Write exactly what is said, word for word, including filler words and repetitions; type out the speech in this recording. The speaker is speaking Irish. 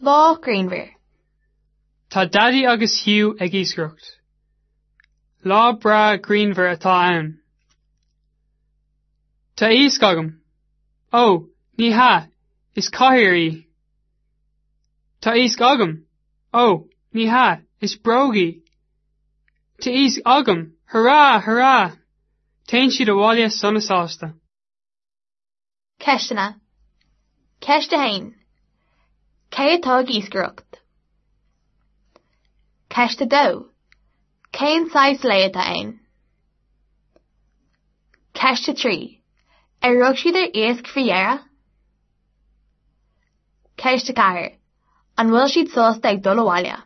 Lá grianmhar. Tá Daidí agus Hugh ag iascaireacht. Lá breá grianmhar atá ann. Tá iasc agam. Ó, ní hea, is cathaoir í. Tá iasc agam. Ó, ní hea, is bróg í. Tá iasc agam, hurrá, hurrá! Téann siad abhaile sona sásta. Ceisteanna. Ceist a haon. Cé atá ag iascaireacht? Ceist a dó. Cén saghas lae atá ann? Ceist a trí. Ar rug siad ar iasc faoi dheireadh? Ceist a ceathair. An bhfuil siad sásta ag dul abhaile?